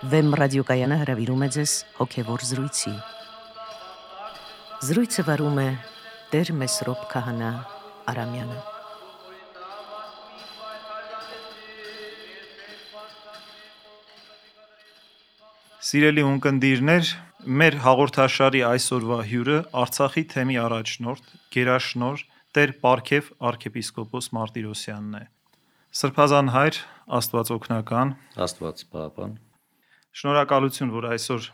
Վեմ ռադիոկայանը հրավիրում է ձեզ հոգևոր զրույցի։ Զրույցը վարում է Տեր Մեսրոպ Քահանա Արամյանը։ Սիրելի ունկնդիրներ, մեր հաղորդաշարի այսօրվա հյուրը Արցախի թեմի առաջնորդ, գերաշնորհ Տեր Պարքև arczepiskopos Մարտիրոսյանն է։ Սրբազան հայր, Աստված օգնական, Աստված պահապան։ Շնորհակալություն, որ այսօր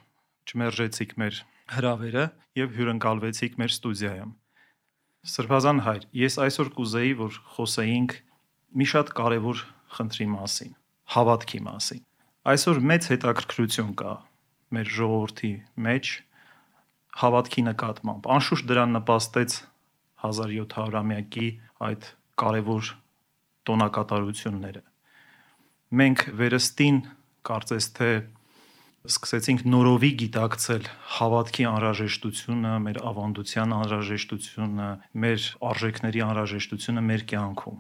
չմերժեցիք մեր հրավերը եւ հյուրընկալվեցիք մեր ստուդիայում։ Սրբազան հայր, ես այսօր կուզեի, որ խոսեինք մի շատ կարևոր խնդրի մասին, հավատքի մասին։ Այսօր մեծ հետաքրքրություն կա մեր ժողովրդի մեջ հավատքի նկատմամբ։ Անշուշտ դրան նպաստեց 1700-ամյակի այդ կարևոր տոնակատարությունները։ Մենք վերստին կարծես թե սկսեցինք նորովի գիտակցել հավատքի անհրաժեշտությունը, մեր ավանդության անհրաժեշտությունը, մեր արժեքների անհրաժեշտությունը մեր կյանքում։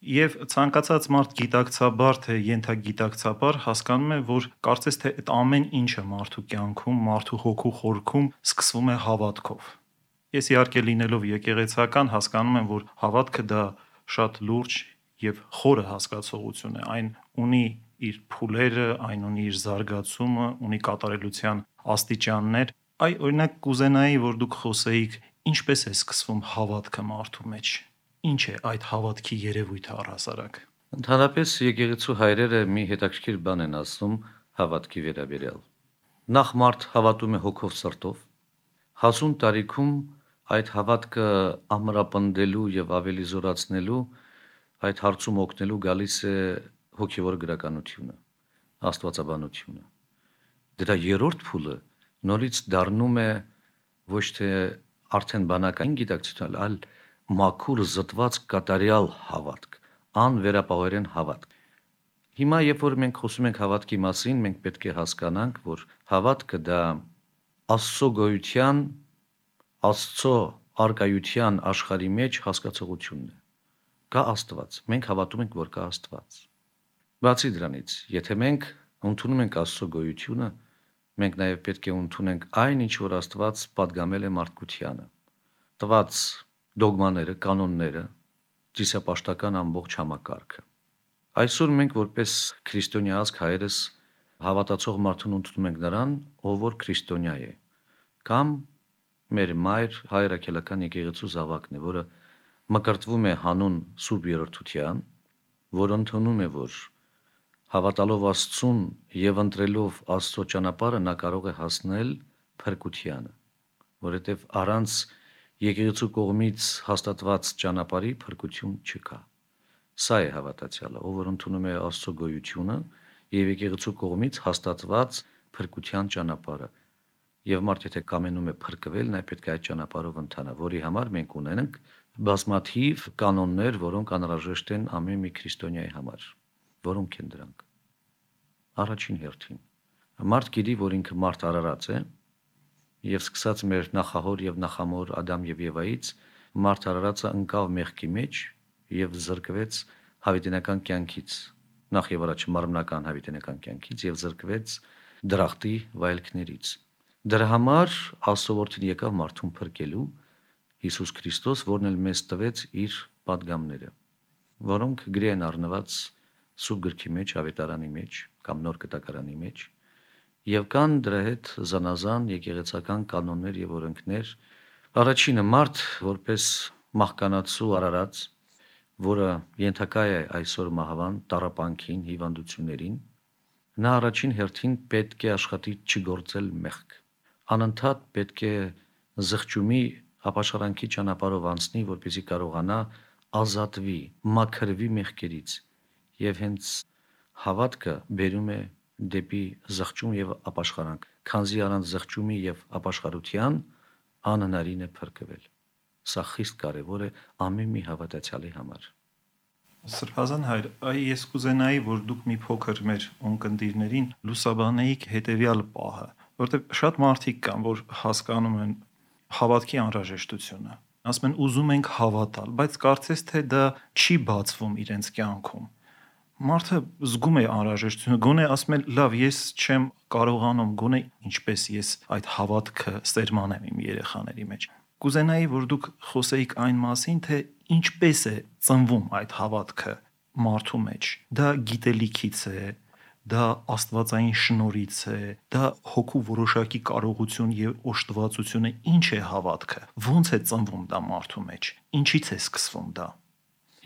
Եվ ցանկացած մարդ գիտակցաբար թե ենթագիտակցաբար հասկանում է, որ կարծես թե այդ ամեն ինչը մարդու կյանքում, մարդու հոգու խորքում սկսվում է հավատքով։ Ես իհարկե լինելով եկեղեցական հասկանում եմ, որ հավատքը դա շատ լուրջ եւ խորը հասկացողություն է։ Այն ունի իր փուլերը, այն ունի իր զարգացումը, ունի կատարելության աստիճաններ։ Օրինակ կուզենայի, որ դուք խոսեիք, ինչպես է սկսվում հավատքը մարդու մեջ։ Ինչ է այդ հավատքի երևույթը առհասարակ։ Ընդհանրապես եկեղեցու հայրերը մի հետաքրքիր բան են ասում հավատքի վերաբերյալ։ Նախ մարդ հավատում է հոգով սրտով, հասուն տարիքում այդ հավատքը ամրապնդելու եւ ավելի զորացնելու այդ հարցում օգնելու գալիս է հոգևոր գրականությունը, աստվածաբանությունը։ Դրա երրորդ փուլը նորից դառնում է ոչ թե արդեն բանական գիտակցություն, այլ մաքուր զտված կատարյալ հավատք, անվերապահորեն հավատք։ Հիմա երբ որ մենք խոսում ենք հավատքի մասին, մենք պետք է հասկանանք, որ հավատքը դա Աստծո գոյության, Աստծո արկայության աշխարհի մեջ հասկացողությունն է։ Կա Աստված, մենք հավատում ենք, որ կա Աստված։ Բացի դրանից, եթե մենք ընդունում ենք Աստծո գոյությունը, մենք նաև պետք է ընդունենք այն, ինչ որ Աստված պատգամել է մարդկությանը, տված դոգմաները, կանոնները, ծիսապաշտական ամբողջ համակարգը։ Այսօր մենք որպես քրիստոնյա ազգ հայերս հավատացող մարդուն ընդունում ենք նրան, ով որ քրիստոնյա է, կամ մեր մայր հայրաքելական եկեղեցու զավակն է, որը մկրտվում է հանուն Սուրբ Երրորդության, որ ընդունում է, որ հավատալով Աստծուն եւ ընտրելով Աստծո ճանապարհը նա կարող է հասնել փրկությանը, որովհետեւ առանց եկեղեցու կողմից հաստատված ճանապարհի փրկություն չկա։ Սա է հավատացյալը, ով որ ընդունում է Աստծո գոյությունը եւ եկեղեցու կողմից հաստատված փրկության ճանապարհը։ Եվ մարդ եթե կամենում է փրկվել, նա պետք է այդ ճանապարհով ընթանա, որի համար մենք ունենք բազմաթիվ կանոններ, որոնք անհրաժեշտ են ամեն մի քրիստոնյայի համար։ Որոնք են դրանք։ Առաջին հերթին մարդ գիտի, որ ինքը մարդ արարած է, եւ սկսած մեր նախահոր եւ նախամոր Ադամ եւ Եվայից մարդ արարածը ընկավ մեղքի մեջ եւ զրկվեց հավիտենական կյանքից, նախ եւ առաջ մարմնական հավիտենական կյանքից եւ զրկվեց դրախտի վայելքներից։ Դրա համար Աստծո որդին եկավ մարդուն փրկելու, Հիսուս Քրիստոս, որն էլ մեզ տվեց իր պատգամները, որոնք գրի են առնված Սուրբ գրքի մեջ, ավետարանի մեջ կամ նոր կտակարանի մեջ, եւ կան դրա հետ զանազան եկեղեցական կանոններ եւ օրենքներ։ Առաջինը մարդ որպես մահկանացու արարած, որը ենթակա է այսօր մահվան, տառապանքին, հիվանդություններին, նա առաջին հերթին պետք է աշխատի չգործել մեղք։ Անընդհատ պետք է զղջումի ապաշխարանքի ճանապարհով անցնի, որպեսզի կարողանա ազատվի, մաքրվի մեղքերից, եւ հենց հավատքը բերում է դեպի զղջում եւ ապաշխարանք, քանզի առանց զղջումի եւ ապաշխարության անհնարին է փրկվել։ Սա խիստ կարևոր է ամեն մի հավատացյալի համար։ Սրբազան հայր, ես կուզենայի, որ դուք մի փոքր մեր ունկնդիրներին լուսաբանեիք հետեւյալ պահը, որտեղ շատ մարդիկ կան, որ հասկանում են հավատքի անհրաժեշտությունը։ Ասում են ուզում ենք հավատալ, բայց կարծես թե դա չի բացվում իրենց կյանքում։ Մարդը զգում է անհրաժեշտությունը, գոնե ասում է, լավ, ես չեմ կարողանում, գոնե ինչպես ես այդ հավատքը սերմանեմ իմ երեխաների մեջ։ Կուզենայի, որ դուք խոսեիք այն մասին, թե ինչպես է ծնվում այդ հավատքը մարդու մեջ։ Դա գիտելիքից է, դա աստվածային շնորհից է, դա հոգու որոշակի կարողություն եւ օժտվածություն է։ Ինչ է հավատքը։ Ոնց է ծնվում դա մարդու մեջ։ Ինչից է սկսվում դա։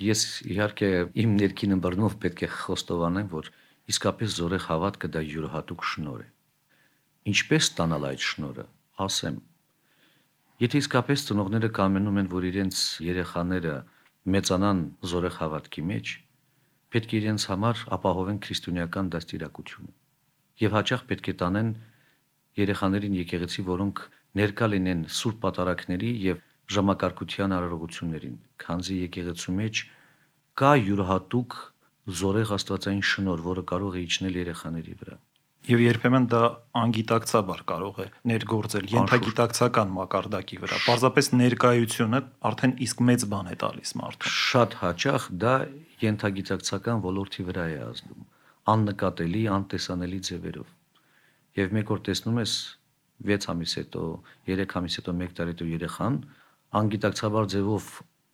Ես իհարկե իմ ներքին ըմբռնումով պետք է խոստովանեմ, որ իսկապես զորեղ հավատքը դա յուրահատուկ շնորհ է։ Ինչպես ստանալ այդ շնորհը, ասեմ։ Եթե իսկապես ծնողները կամենում են, որ իրենց երեխաները մեծանան զորեղ հավատքի մեջ, պետք է իրենց համար ապահովեն քրիստոնեական դաստիարակությունը։ Եվ հաճախ պետք է տանեն երեխաներին եկեղեցի, որոնք ներկա լինեն սուրբ պատարագների եւ ժամակարգության արարողություններին, քանզի եկեղեցու մեջ կա յուրահատուկ զորեղ աստվածային շնորհ, որը կարող է իջնել երեխաների վրա։ Եվ երբեմն դա անգիտակցաբար կարող է ներգործել ենթագիտակցական մակարդակի վրա։ Պարզապես ներկայությունը արդեն իսկ մեծ բան է տալիս մարդուն։ Շատ հաճախ դա ենթագիտակցական ոլորտի վրա է ազդում, աննկատելի, անտեսանելի ձևերով։ Եվ մեկ օր տեսնում ես 6 ամիս հետո, 3 ամիս հետո, 1 տարի հետո երեխան անգիտակցաբար ձևով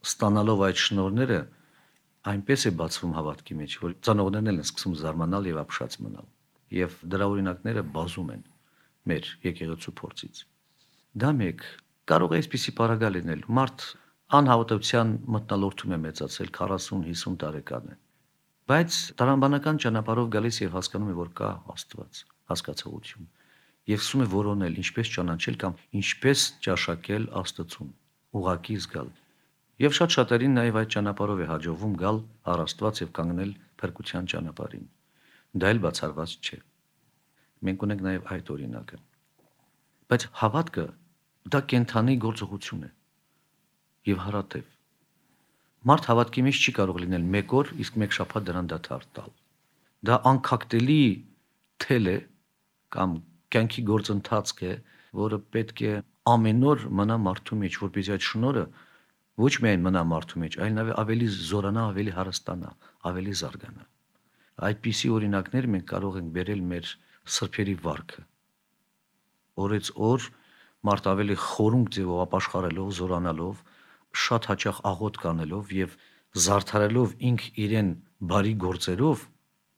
ստանալով այդ շնորհները այնպես է բացվում հավատքի մեջ, որ ծանոթներն են սկսում զարմանալ եւ ապշած մնալ։ Եվ դրա օրինակները բազում են մեր եկեղեցու փորձից։ Դա մեկ կարող է այսպիսի պարագա լինել։ Մարդ անհավատության մթնոլորտում է մեծացել 40-50 տարեկան է։ Բայց տրամաբանական ճանապարհով գալիս եւ հասկանում է, որ կա Աստված, հասկացողություն։ Եվ սկսում է որոնել ինչպես ճանաչել կամ ինչպես ճաշակել Աստծուն, ուղակի զգալ։ Եվ շատ շատերին նաև այդ ճանապարհով է հաջողվում գալ առ Աստված եւ կանգնել փրկության ճանապարհին։ Դա էլ բացառված չէ։ Մենք ունենք նաև այդ օրինակը։ Բայց հավատքը դա կենթանի գործողություն է եւ հարատև։ Մարդ հավատքի մեջ չի կարող լինել մեկ օր, իսկ մեկ շաբաթ դրան դադար տալ։ Դա անքակտելի թել է կամ կյանքի գործընթաց է, որը պետք է ամեն օր մնա մարդու մեջ, որպեսզի այդ շնորհը ոչ միայն մնա մարդու մեջ, այլ նաև ավելի զորանա, ավելի հարստանա, ավելի զարգանա։ Այդպիսի օրինակներ մենք կարող ենք բերել մեր սրբերի վարքը։ Օրից օր մարդ ավելի խորունկ ձևով ապաշխարելով, զորանալով, շատ հաճախ աղոտ կանելով եւ զարդարելով ինք իրեն բարի գործերով,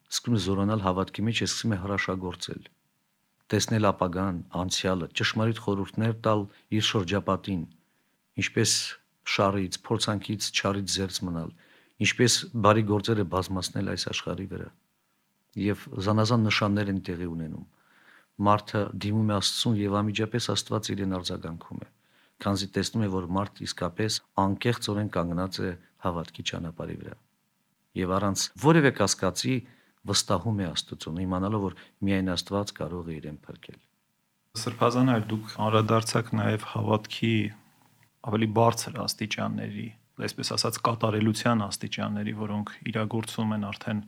սկսում է զորանալ հավատքի մեջ, սկսում է հրաշագործել, տեսնել ապագան, անցյալը, ճշմարիտ խորհուրդներ տալ իր շրջապատին, ինչպես շարից, փորձանքից, չարից զերծ մնալ, ինչպես բարի գործերը բազմացնել այս աշխարհի վրա։ Եվ զանազան նշաններ են տեղի ունենում։ Մարդը դիմում է Աստծուն եւ անմիջապես Աստված իրեն արձագանքում է, քանզի տեսնում է, որ մարդ իսկապես անկեղծորեն կանգնած է հավատքի ճանապարհի վրա։ Եվ առանց որևէ կասկածի վստահում է Աստծուն, իմանալով, որ միայն Աստված կարող է իրեն փրկել։ Սրբազան այլ դուք անդրադարձաք նաեւ հավատքի ավելի բարձր աստիճանների, այսպես ասած կատարելության աստիճանների, որոնք իրագործվում են արդեն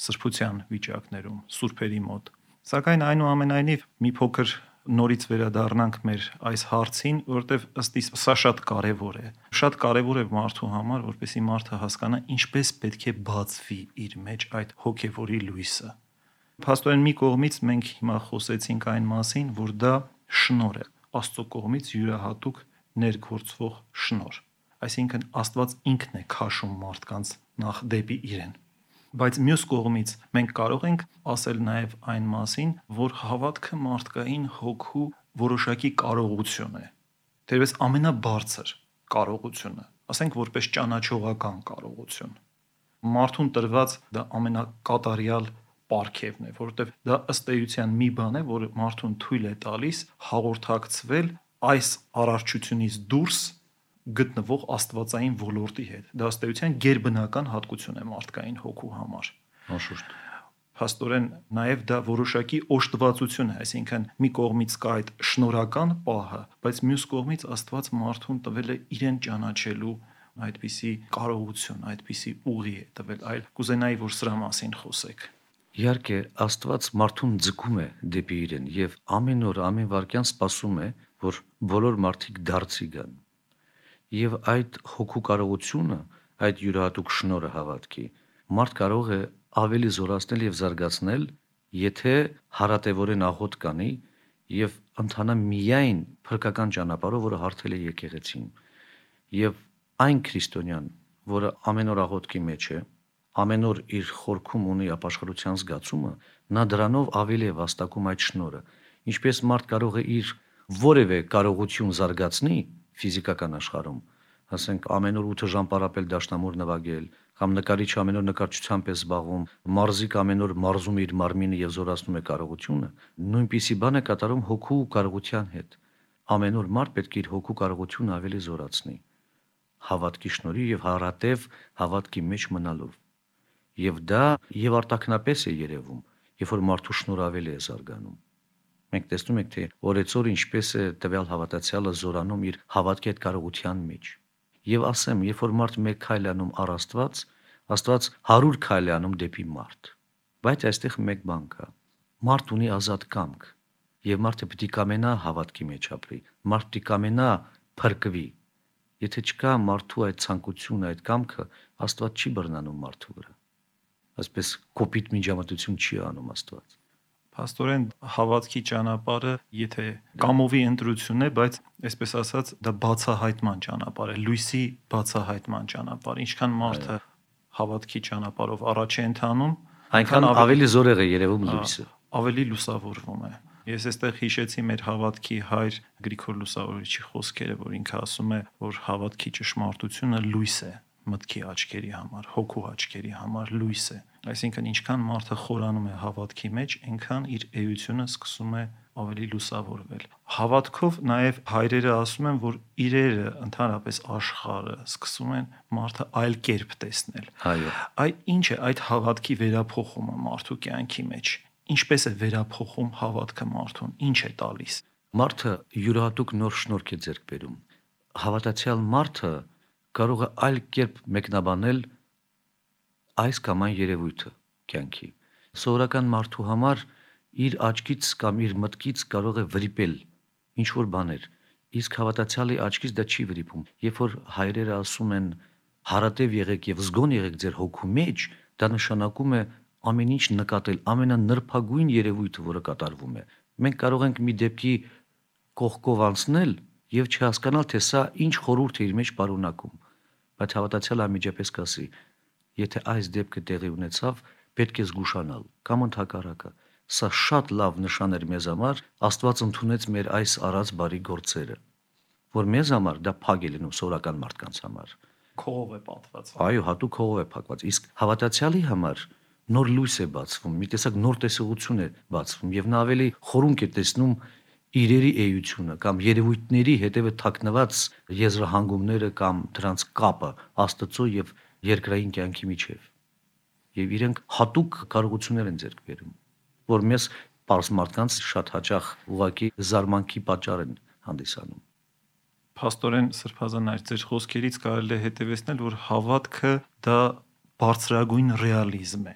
սրբության վիճակներում, սուրբերի մոտ։ Սակայն այնուամենայնիվ մի փոքր նորից վերադառնանք մեր այս հարցին, որովհետև ըստ իս սա շատ կարևոր է։ Շատ կարևոր է մարդու համար, որպեսզի մարդը հասկանա ինչպես պետք է բացվի իր մեջ այդ հոգևորի լույսը։ Փաստորեն մի կողմից մենք հիմա խոսեցինք այն մասին, որ դա շնորհ է, Աստծո կողմից յուրահատուկ ներգործվող շնորհ։ Այսինքն Աստված ինքն է քաշում մարդկանց նախ դեպի իրեն։ Բայց մյուս կողմից մենք կարող ենք ասել նաև այն մասին, որ հավատքը մարդկային հոգու որոշակի կարողություն է։ Դերևս ամենաբարձր կարողությունը, ասենք որպես ճանաչողական կարողություն։ Մարդուն տրված դա ամենակատարյալ պարգևն է, որովհետև դա ըստ էության մի բան է, որը մարդուն թույլ է տալիս հաղորդակցվել այս արարչությունից դուրս գտնվող աստվածային ոլորտի հետ։ Դա ըստ էության գերբնական հատկություն է մարդկային հոգու համար։ Անշուշտ։ Փաստորեն նաև դա որոշակի օժտվածություն է, այսինքն մի կողմից կա այդ շնորհական պահը, բայց մյուս կողմից Աստված մարդուն տվել է իրեն ճանաչելու այդպիսի կարողություն, այդպիսի ուղի է տվել, այլ կուզենայի, որ սրա մասին խոսեք։ Իհարկե, Աստված մարդուն ձգում է դեպի իրեն եւ ամեն օր, ամեն վայրկյան սպասում է, որ բոլոր մարդիկ դարձի գան։ Եվ այդ հոգու կարողությունը, այդ յուրահատուկ շնորհը հավատքի, մարդ կարող է ավելի զորացնել եւ զարգացնել, եթե հարատևորեն աղոտ կանի եւ ընթանա միայն փրկական ճանապարհով, որը հարթել է եկեղեցին։ Եվ այն քրիստոնյան, որը ամեն օր աղոթքի մեջ է, ամեն օր իր խորքում ունի ապաշխարության զգացումը, նա դրանով ավելի է վաստակում այդ շնորհը։ Ինչպես մարդ կարող է իր որևէ կարողություն զարգացնի ֆիզիկական աշխարհում, ասենք ամեն օր 8 ժամ պարապել դաշնամուր նվագել, կամ նկարիչ ամեն օր նկարչությամբ է զբաղվում, մարզիկ ամեն օր մարզում է իր մարմինը եւ զորացնում է կարողությունը, նույնպիսի բան է կատարում հոգու կարողության հետ։ Ամեն օր մարդ պետք է իր հոգու կարողությունը ավելի զորացնի, հավատքի շնորհիվ եւ հարատև հավատքի մեջ մնալով։ Եվ դա եւ արտաքնապես է երևում, երբ որ մարդու շնորհը ավելի է զարգանում։ Մենք տեսնում ենք, թե օրեցօր ինչպես է տվյալ հավատացյալը զորանում իր հավատքի այդ կարողության մեջ։ Եվ ասեմ, երբ որ մարդ մեկ քայլ անում առ Աստված, Աստված 100 քայլ է անում դեպի մարդ։ Բայց այստեղ մեկ բան կա։ Մարդ ունի ազատ կամք, եւ մարդը պետք է կամենա հավատքի մեջ ապրի։ Մարդ պետք է կամենա փրկվի։ Եթե չկա մարդու այդ ցանկությունը, այդ կամքը, Աստված չի բռնանում մարդու վրա։ Այսպես կոպիտ միջամտություն չի անում Աստված։ Փաստորեն հավատքի ճանապարհը, եթե կամովի ընտրություն է, բայց այսպես ասած, դա բացահայտման ճանապարհ է, լույսի բացահայտման ճանապարհ։ Ինչքան մարդը հավատքի ճանապարհով առաջ է ընթանում, այնքան ավելի զորեղ է երևում լույսը, ավելի լուսավորվում է։ Ես այստեղ հիշեցի մեր հավատքի հայր Գրիգոր Լուսավորիչի խոսքերը, որ ինքը ասում է, որ հավատքի ճշմարտությունը լույս է մտքի աչքերի համար, հոգու աչքերի համար լույս է։ Այսինքն ինչքան մարդը խորանում է հավատքի մեջ, այնքան իր էությունը սկսում է ավելի լուսավորվել։ Հավատքով նաև հայրերը ասում են, որ իրերը, ընդհանրապես աշխարհը սկսում են մարդը այլ կերպ տեսնել։ Այո։ Այդ ինչ է այդ հավատքի վերափոխումը մարդու կյանքի մեջ։ Ինչպես է վերափոխում հավատքը մարդուն, ինչ է տալիս։ Մարդը յուրահատուկ նոր շնորհք է ձեռք բերում։ Հավատացյալ մարդը կարող է այլ կերպ մեկնաբանել այս կամ այն երևույթը կյանքի։ Սովորական մարդու համար իր աչքից կամ իր մտքից կարող է վրիպել ինչ որ բաներ, իսկ հավատացյալի աչքից դա չի վրիպում։ Երբ որ հայրերը ասում են հարատև եղեք եւ զգոն եղեք ձեր հոգու մեջ, դա նշանակում է ամեն ինչ նկատել, ամենանրբագույն երևույթը, որը կատարվում է։ Մենք կարող ենք մի դեպքի կողքով անցնել եւ չհասկանալ, թե սա ինչ խորհուրդ է իր մեջ պարունակում, բայց հավատացյալը անմիջապես կասի, եթե այս դեպքը տեղի ունեցավ, պետք է զգուշանալ, կամ ընդհակառակը, սա շատ լավ նշան էր մեզ համար, Աստված ընդունեց մեր այս արած բարի գործերը, որ մեզ համար դա փակ է լինում սովորական մարդկանց համար։ Քողով է պատված։ Այո, հատուկ քողով է փակված, իսկ հավատացյալի համար նոր լույս է բացվում, մի տեսակ նոր տեսողություն է բացվում եւ նա ավելի խորունկ է տեսնում իրերի էությունը կամ երևույթների հետևը թաքնված եզրահանգումները կամ դրանց կապը Աստծո եւ երկրային կյանքի միջև։ Եվ իրենք հատուկ կարողություններ են ձեռք բերում, որ մեզ պարզ մարդկանց շատ հաճախ ուղղակի զարմանքի պատճառ են հանդիսանում։ Փաստորեն Սրբազան այր ձեր խոսքերից կարելի է հետևեցնել, որ հավատքը դա բարձրագույն ռեալիզմ է։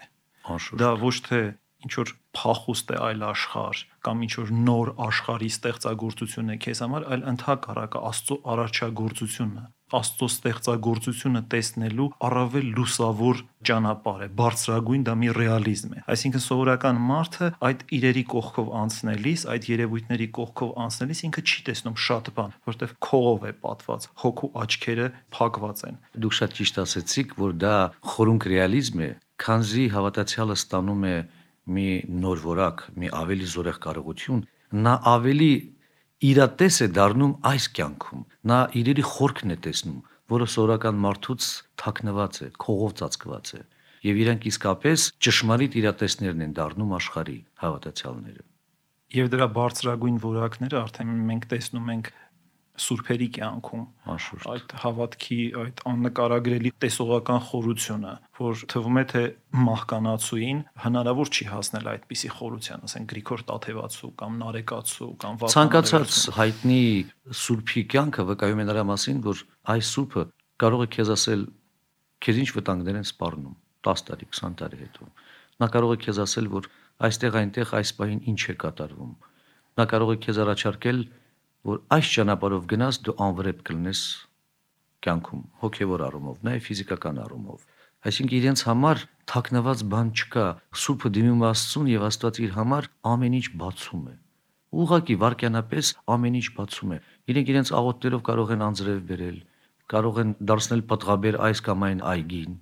Դա ոչ թե ինչ որ փախուստ է այլ աշխարհ կամ ինչ որ նոր աշխարհի ստեղծագործություն է քեզ համար, այլ ընդհակառակը Աստծո արարչագործությունը, Աստծո ստեղծագործությունը տեսնելու առավել լուսավոր ճանապարհ է, բարձրագույն դա մի ռեալիզմ է։ Այսինքն սովորական մարդը այդ իրերի կողքով անցնելիս, այդ երևույթների կողքով անցնելիս ինքը չի տեսնում շատ բան, որտեղ քողով է պատված, հոգու աչքերը փակված են։ Դուք շատ ճիշտ ասեցիք, որ դա խորունկ ռեալիզմ է, քանզի հավատացյալը ստանում է մի նոր որակ, մի ավելի զորեղ կարողություն, նա ավելի իրատես է դառնում այս կյանքում, նա իրերի խորքն է տեսնում, որը սովորական մարդուց թաքնված է, քողով ծածկված է, եւ իրանք իսկապես ճշմարիտ իրատեսներն են դառնում աշխարհի հավատացյալները։ Եվ դրա բարձրագույն որակները արդեն մենք տեսնում ենք սուրբերի կյանքում, այդ հավատքի, այդ աննկարագրելի տեսողական խորությունը, որ թվում է թե մահկանացուին հնարավոր չի հասնել այդպիսի խորության, ասենք Գրիգոր Տաթևացու կամ Նարեկացու կամ ցանկացած հայտնի սուրբի կյանքը վկայում է նրա մասին, որ այս սուրբը կարող է քեզ ասել, քեզ ինչ վտանգներ են սպառնում 10 տարի, 20 տարի հետո։ Նա կարող է քեզ ասել, որ այստեղ այնտեղ այս պահին ինչ է կատարվում։ Նա կարող է քեզ առաջարկել, որ այս ճանապարհով գնաս դու անվրեպ կլինես կյանքում, հոգևոր առումով, նաև ֆիզիկական առումով։ Այսինքն իրենց համար թաքնված բան չկա։ Սուրբը դիմում է Աստծուն եւ Աստված իր համար ամեն ինչ բացում է։ Ուղղակի վարքյանապես ամեն ինչ բացում է։ Իրենք իրենց աղոթներով կարող են անձրև բերել, կարող են դարձնել պատղաբեր այս կամ այն այգին։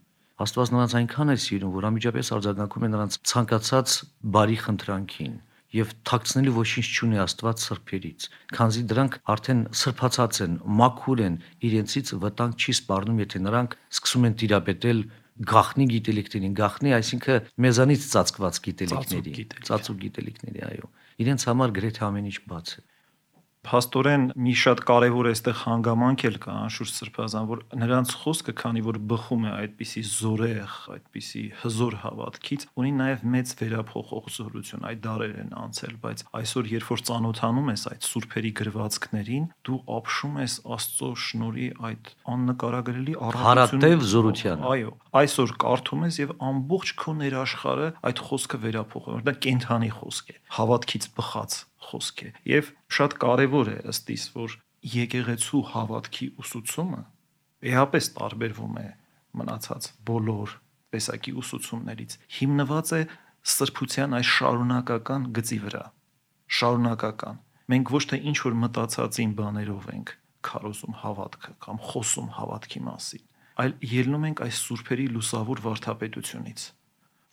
Աստված նրանց այնքան է սիրում, որ անմիջապես արձագանքում է նրանց ցանկացած բարի խնդրանքին եւ թաքցնելու ոչինչ չունի Աստված սրբերից, քանզի դրանք արդեն սրբացած են, մաքուր են, իրենցից վտանգ չի սպառնում, եթե նրանք սկսում են տիրապետել գաղտնի գիտելիքներին, գաղտնի, այսինքն մեզանից ծածկված գիտելիքների, ծածուկ գիտելիքների, այո։ Իրենց համար գրեթե ամեն ինչ բաց է։ Փաստորեն մի շատ կարևոր այստեղ հանգամանք էլ կա անշուշտ Սրբազան, որ նրանց խոսքը, քանի որ բխում է այդպիսի զորեղ, այդպիսի հզոր հավատքից, ունի նաև մեծ վերափոխող զորություն, այդ դարեր են անցել, բայց այսօր երբ որ ծանոթանում ես այդ սուրբերի գրվածքներին, դու ապշում ես Աստծո շնորհի այդ աննկարագրելի հարատև զորությանը։ Այո, այսօր կարդում ես եւ ամբողջ քո ներաշխարը այդ խոսքը վերափոխում է, դա կենթանի խոսք է, հավատքից բխած խոսք է եւ շատ կարեւոր է ըստ իս, որ եկեղեցու հավատքի ուսուցումը էապես տարբերվում է մնացած բոլոր տեսակի ուսուցումներից, հիմնված է սրբության այս շարունակական գծի վրա, շարունակական։ Մենք ոչ թե ինչ որ մտածածին բաներով ենք քարոզում հավատքը կամ խոսում հավատքի մասին, այլ ելնում ենք այս սուրբերի լուսավոր վարդապետությունից,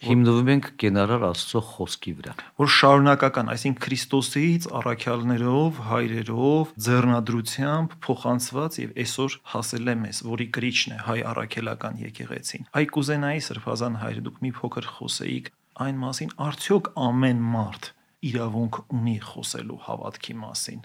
հիմնվում ենք կենարար Աստծո խոսքի վրա, որ շարունակական, այսինքն Քրիստոսից առաքյալներով, հայրերով, ձեռնադրությամբ փոխանցված եւ այսօր հասել է մեզ, որի կրիչն է հայ առաքելական եկեղեցին։ Այ կուզենայի Սրբազան հայր, դուք մի փոքր խոսեիք այն մասին, արդյոք ամեն մարդ իրավունք ունի խոսելու հավատքի մասին։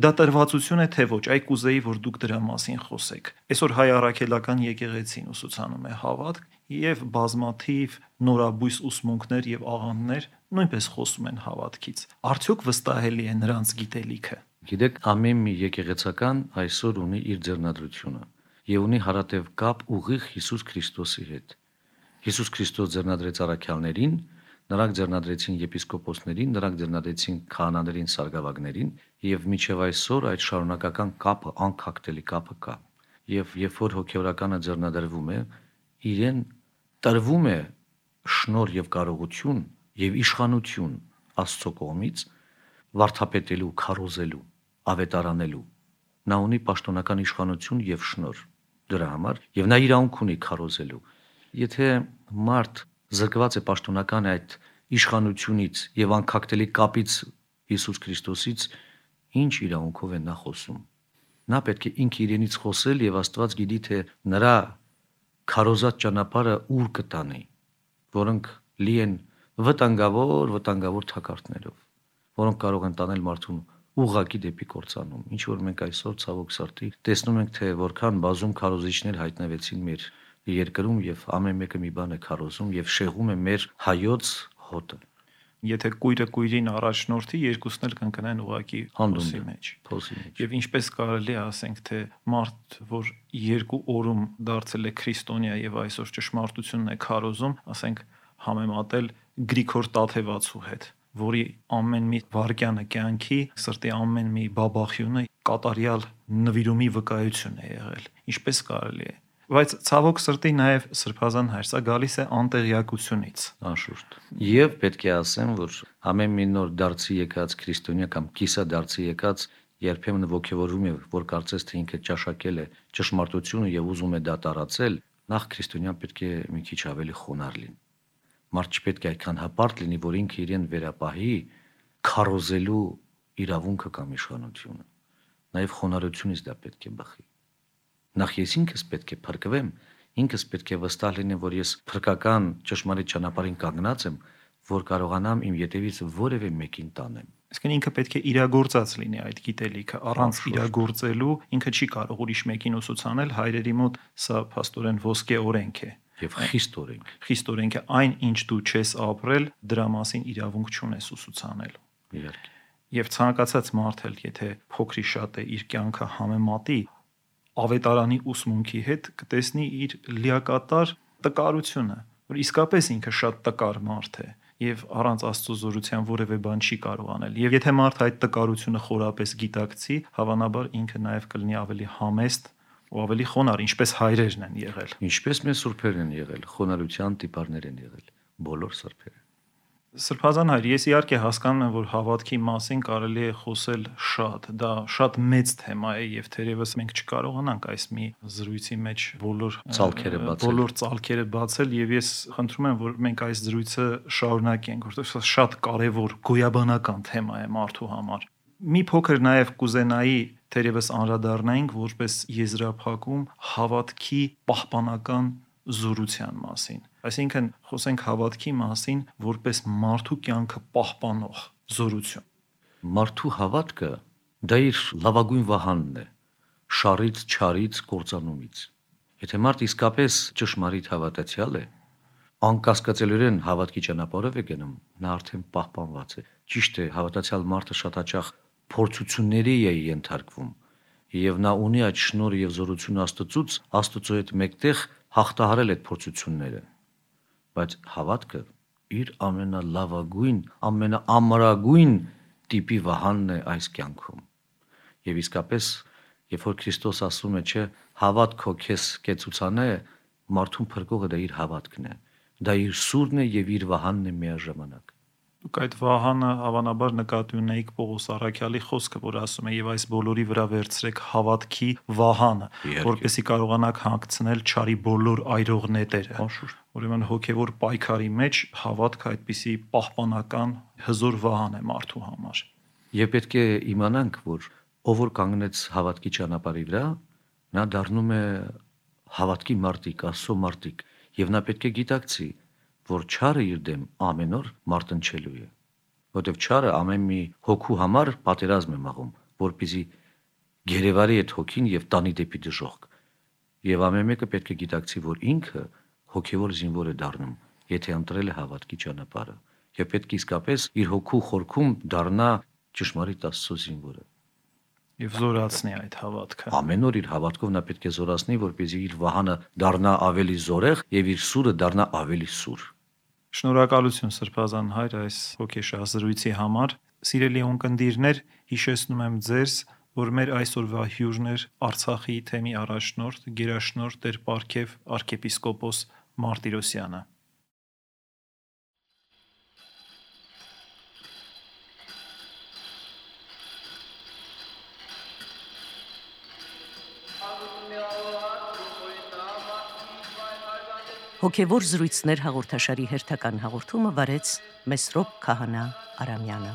Դա տրվածություն է թե ոչ, այ կուզեի, որ դուք դրա մասին խոսեք։ Այսօր հայ առաքելական եկեղեցին ուսուցանում է հավատք եւ բազմաթիվ նորաբույս ուսմունքներ եւ աղանդներ նույնպես խոսում են հավատքից։ Արդյոք վստահելի է նրանց գիտելիքը։ Գիտեք, ամեն մի եկեղեցական այսօր ունի իր ձեռնադրությունը եւ ունի հարատև կապ ուղիղ Հիսուս Քրիստոսի հետ։ Հիսուս Քրիստոս ձեռնադրեց առաքյալներին, նրանք ձեռնադրեցին եպիսկոպոսներին, նրանք ձեռնադրեցին քահանաներին, սարգսակներին եւ մինչեւ այսօր այդ շարունակական կապը, անքակտելի կապը կա։ Եվ երբ որ հոգեորականը ձեռնադրվում է, իրեն տրվում է շնորհ եւ կարողություն եւ իշխանություն Աստծո կողմից վարդապետելու, քարոզելու, ավետարանելու։ Նա ունի պաշտոնական իշխանություն եւ շնորհ դրա համար եւ նա իրավունք ունի քարոզելու։ Եթե մարդ զրկված է պաշտոնական այդ իշխանությունից եւ անքակտելի կապից Հիսուս Քրիստոսից, ինչ իրավունքով է նա խոսում։ Նա պետք է ինքը իրենից խոսել եւ Աստված գիտի թե նրա քարոզած ճանապարհը ուր կտանի, որոնք լի են վտանգավոր թակարդներով, որոնք կարող են տանել մարդուն ուղղակի դեպի կործանում։ Ինչ որ մենք այսօր ցավոք սրտի տեսնում ենք, թե որքան բազում քարոզիչներ հայտնվեցին մեր երկրում եւ ամեն մեկը մի բան է քարոզում եւ շեղում է մեր հայոց հոտը։ Եթե կույրը կույրին առաջնորդի, երկուսն էլ կընկնեն ուղակի փոսի մեջ։ Եվ ինչպես կարելի է ասենք, թե մարդ, որ 2 օրում դարձել է քրիստոնյա եւ այսօր ճշմարտությունն է քարոզում, ասենք համեմատել Գրիգոր Տաթևացու հետ, որի ամեն մի վարքյանը կյանքի, սրտի ամեն մի բաբախյունը կատարյալ նվիրումի վկայություն է եղել։ Ինչպես կարելի է։ Բայց ցավոք սրտի նաև Սրբազան հայր, սա գալիս է անտեղյակությունից, անշուշտ։ Եվ պետք է ասեմ, որ ամեն մի նոր դարձի եկած քրիստոնյա կամ կիսա դարձի եկած երբեմն ողջևորվում է, որ կարծես թե ինքը ճաշակել է ճշմարտությունը եւ ուզում է դա տարածել, նախ քրիստոնյան պետք է մի քիչ ավելի խոնարհ լինի։ Մարդ չպետք է այդքան հպարտ լինի, որ ինքը իրեն վերապահի քարոզելու իրավունքը կամ իշխանությունը։ Նաև խոնարհությունից դա պետք է բխի։ Նախ ես ինքս պետք է փրկվեմ, ինքս պետք է վստահ լինեմ, որ ես փրկական ճշմարիտ ճանապարհին կանգնած եմ, որ կարողանամ իմ ետևից որևէ մեկին տանեմ։ Այսինքն ինքը պետք է իրագործած լինի այդ գիտելիքը, առանց իրագործելու ինքը չի կարող ուրիշ մեկին ուսուցանել, հայրերի մոտ սա փաստորեն ոսկե օրենք է եւ խիստ օրենք։ Խիստ օրենք է, այն ինչ դու չես ապրել, դրա մասին իրավունք չունես ուսուցանել։ Իհարկե։ Եվ ցանկացած մարդ էլ, եթե փոքրի շատ է իր կյանքը համեմատի ավետարանի ուսմունքի հետ, կտեսնի իր լիակատար տկարությունը, որ իսկապես ինքը շատ տկար մարդ է եւ առանց Աստծո զորության որևէ բան չի կարող անել։ Եվ եթե մարդ այդ տկարությունը խորապես գիտակցի, հավանաբար ինքը նաեւ կլինի ավելի համեստ ու ավելի խոնար, ինչպես հայրերն են եղել։ Ինչպես մեր սուրբերն են եղել, խոնարհության տիպարներ են եղել, բոլոր սրբերը։ Սրբազան հայր, ես իհարկե հասկանում եմ, որ հավատքի մասին կարելի է խոսել շատ, դա շատ մեծ թեմա է եւ թերևս մենք չկարողանանք այս մի զրույցի մեջ բոլոր ծալքերը բացել եւ ես խնդրում եմ, որ մենք այս զրույցը շարունակենք, որովհետեւ սա շատ կարեւոր գոյաբանական թեմա է մարդու համար։ Մի փոքր նաեւ կուզենայի թերևս անդրադառնայինք որպես եզրափակում հավատքի պահպանական զորության մասին։ Այսինքն խոսենք հավատքի մասին որպես մարդու կյանքը պահպանող զորություն։ Մարդու հավատքը դա իր լավագույն վահանն է, շարից, չարից, կործանումից։ Եթե մարդ իսկապես ճշմարիտ հավատացյալ է, անկասկածելիորեն հավատքի ճանապարհով է գնում, նա արդեն պահպանված է։ Ճիշտ է, հավատացյալ մարդը շատ հաճախ փորձությունների է ենթարկվում, եւ նա ունի այդ շնորհը եւ զորությունը Աստծուց, Աստծո հետ մեկտեղ հաղթահարել այդ փորձությունները, բայց հավատքը իր ամենալավագույն, ամենաամրագույն տիպի վահանն է այս կյանքում։ Եվ իսկապես, երբ որ Քրիստոս ասում է, չէ, հավատքո քեզ կեցուցանե, մարդուն փրկողը դա իր հավատքն է, դա իր սուրն է եւ իր վահանն է միաժամանակ։ Դուք այդ վահանը հավանաբար նկատի ունեիք Պողոս առաքյալի խոսքը, որ ասում է եւ այս բոլորի վրա վերցրեք հավատքի վահանը, որպեսզի կարողանաք հանգցնել չարի բոլոր այրող նետերը։ Ուրեմն հոգեվոր պայքարի մեջ հավատքը այդպիսի պահպանական հզոր վահան է մարդու համար։ Եվ պետք է իմանանք, որ ով որ կանգնեց հավատքի ճանապարհի վրա, նա դառնում է հավատքի մարտիկ, Աստծո մարտիկ, եւ նա պետք է գիտակցի, որ չարը իր դեմ ամեն օր մարտնչելու է, որտեվ չարը ամեն մի հոգու համար պատերազմ է մաղում, որպեսզի գերեվարի այդ հոգին եւ տանի դեպի դժոխք։ Եվ ամեն մեկը պետք է գիտակցի, որ ինքը հոգեվոր զինվոր է դառնում, եթե ընտրել է հավատքի ճանապարհը, եւ պետք է իսկապես իր հոգու խորքում դառնա ճշմարիտ Աստծո զինվորը։ Եվ զորացնի այդ հավատքը։ Ամեն օր իր հավատքով նա պետք է զորացնի, որպեսզի իր վահանը դառնա ավելի զորեղ եւ իր սուրը դառնա ավելի սուր։ Շնորհակալություն Սրբազան հայր այս հոգեշահ զրույցի համար։ Սիրելի ունկնդիրներ, հիշեցնում եմ ձեզ, որ մեր այսօրվա հյուրն էր Արցախի թեմի առաջնորդ, գերաշնորհ Տեր Պարքև arczepiskopos Martirosyan-ը։ Հոգևոր զրույցներ հաղորդաշարի հերթական հաղորդումը վարեց Մեսրոպ Քահանա Արամյանը։